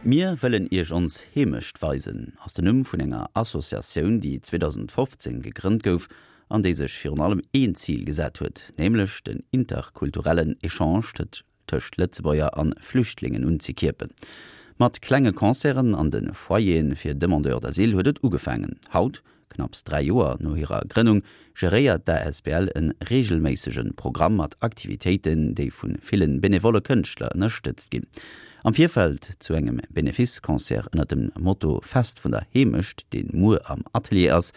Mir wëllen Iech ons Heemecht weisen ass den Numm vun enger Associatioun, déi 2015 gegrënnt gouf an déi sech virun allem een Zil gesat huet, nämlech den interkulturellen Echange tëscht Lëtzebuerger an Flüchtlingen unzekierpen. Mat klenge Concerten an de Foyeren fir Demandeurs d'asile huet et ugefaangen. Haut Knapps 3 Joer no hirer Grënnung geréiert d'ASBL en reegelméissege Programm mat Aktivitéiten, déi vu ville benevolle Kënschtler ënnerstëtzt ginn. Am Virfeld zu engem Benefice-Concert ënner dem Motto Fest vun der Heemecht, deen muer am Atelier ass,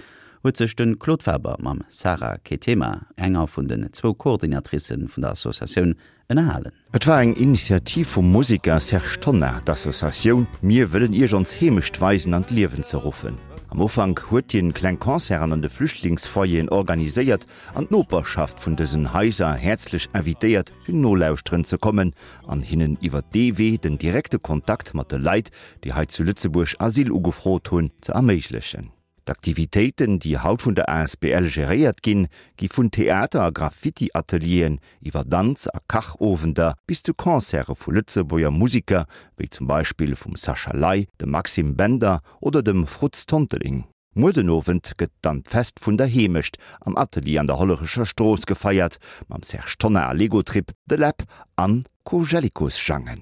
huet sech de Claude Faber mam Sarah Ketema, enger vun den zwou Coordinatricë vun der Associatioun, ënnerhalen. Et war eng Initiativ vum Museker Serge Tonnar, d'Associatioun Mir wëllen Iech ons Heemecht weisen an d'Liewen ze ruffen. Am Ufank huet hien kleng Concerten an de Flüchtlingsfoyeren organiséiert an d'Noperschaft vun dësen Haiser häerzlech invitéiert fir nolauschteren ze kommen an hinnen iwwer dee Wee den direkte Kontakt mat de Leit, déi hei zu Lëtzebuerg Asyl ugefrot hunn, ze erméiglechen. D'Aktivitéiten, déi haut vun der asbl geréiert ginn, gi vun Theater a Graffiti-Atelieren iwwer Danz a Kachowender bis zu Concerte vu Lëtzebuerger Museker, wéi zum Beispill vum Sascha Ley, dem Maxime Bender oder dem Frutz Tonteling. Muer den Owend gëtt dann d'Fest vun der Heemecht am Atelier an der Hollerecher Strooss gefeiert, mam Serge Tonnar, Legotrip, The Läb an Kojellikosjangen.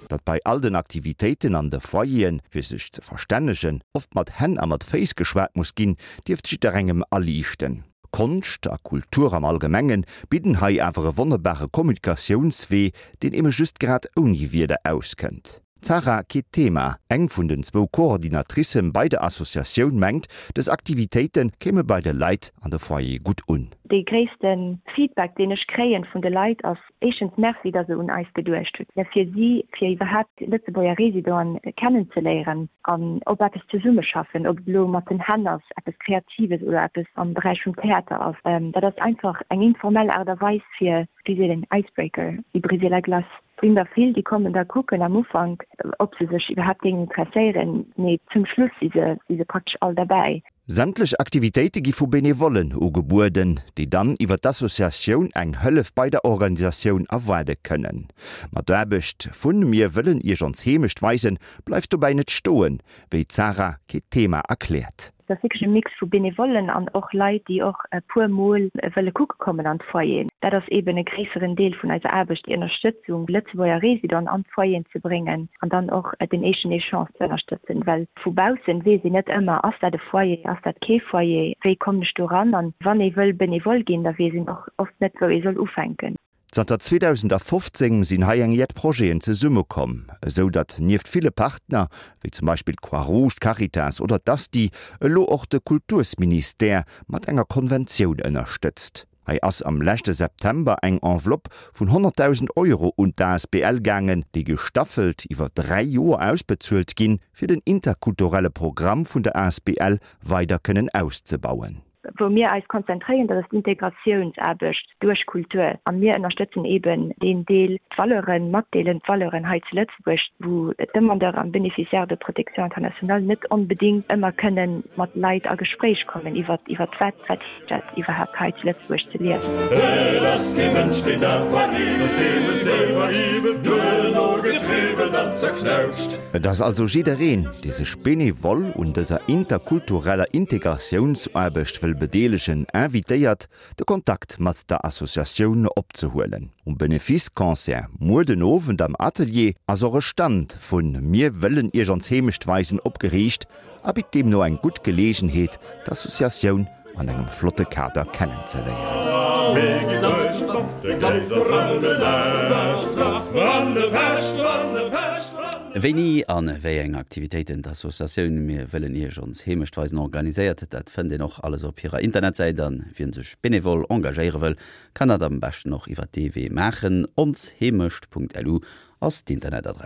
Datt bei all den Aktivitéiten an de Foyeren, fir sech ze verstännegen, oft mat Hänn a mat Féiss geschwat muss ginn, dierft jidderengem aliichten. Konscht a Kultur am Allgemengen bidden hei awer e wonnerbare Kommunikatiounswee, deen ebe just grad ouni Wierder auskënnt. D'Sarah Ketema, eng vun den zwou Coordinatricë bei der Associatioun, mengt, dës Aktivitéite kéime bei de Leit an de Foyere gutt un. Dee gréisste Feedback, deen ech kréien vun de Leit, ass éischtens Merci, datt se un eis geduecht hunn, fir si, fir iwwerhaapt Lëtzebuerger Residenten kennenzeléieren an op eppes zesummeschaffen, ob et elo mat den Hänn ass, eppes Kreatives oder eppes am Beräich vum Theater ass. Dat ass einfach eng informell Aart a Weis fir, wéi seet een, Icebreaker, déi briser la glace. Et sinn der vill, déi kommen da kucken am Ufank, ob se sech iwwerhaapt géingen interesséieren, mee zum Schluss si se, si se praktesch all derbäi. Sämtlech Aktivitéite gi vu Benevollen ugebueden, déi dann iwwer d'Associatioun eng Hëllef bei der Organisatioun erwaarde kënnen. Ma d'Aarbecht vun Mir wëllen Iech ons Heemecht weisen bleift dobäi net stoen, wéi d'Sarah Ketema erkläert. Et ass wierklech e Mix vu Benevollen an och Leit, déi och e puer Mol wëlle kucke kommen an d'Foyeren. Dat ass eeben e gréisseren Deel vun eiser Aarbecht, déi Ënnerstëtzung, Lëtzebuerger Residenten an d'Foyeren ze bréngen an dann och den éischten Echange ze ënnerstëtzen. Well vu baussen weess een net ëmmer, ass dat e Foyer, ass dat kee Foyer, wéi kommen ech do ran? An wann ee wëll Benevole ginn, da weess een och oft net, wou ee soll ufänken. Zanter 2015 sinn hei eng jett Projeten zesummekomm, esou datt nieft ville Partner, wéi zum Beispill d'Croix-Rouge, d'Caritas oder d'ASTI, elo och de Kultursministère mat enger Konventioun ënnerstëtzt. Hei ass am leschte September eng Enveloppe vun 100.000 Euro un d'ASBL gaangen, déi gestaffelt iwwer 3 Joer ausbezuelt ginn, fir den interkulturelle Programm vun der asbl weider kënnen auszebauen. Wou mir eis konzentréieren, dat ass d'Integratiounsaarbecht duerch Kultur. A mir ënnerstëtzen eeben deen Deel, d'Valeuren matdeelen, d'Valeuren hei zu Lëtzebuerg, wou d'Demandeurs an Bénéficiaires de protection internationale net onbedéngt ëmmer kënnen mat Leit a Gespréich kommen iwwer iwwer wat wat heescht dat iwwerhaapt hei zu Lëtzebuerg ze liewen. Et ass kee Mënsch, deen dat veriwwelt, duerno getriwwelt an zerknautscht. Et ass also jiddereen, dee sech benevol un dëser interkultureller Integratiounsaarbecht wëll bedeelegen, invitéiert, de Kontakt mat der Associatioun opzehuelen. Um Benefice-Concert muer den Owend am Atelier ass och e Stand vun Mir wëllen Iech ons Heemecht weisen opgeriicht a bitt deemno eng gutt Geleegenheet, d'Associatioun an engem flotte Kader kennenzeléieren. Wéini a wéi eng Aktivitéiten d'Associatioun Mir wëllen Iech ons Heemecht weisen organiséiert, dat fënnt een och alles op hirer Internetsäit. A wien sech benevol engagéiere wëll, kann dat am beschten och iwwer dee Wee maachen, onsheemecht.lu ass d'Internetadress.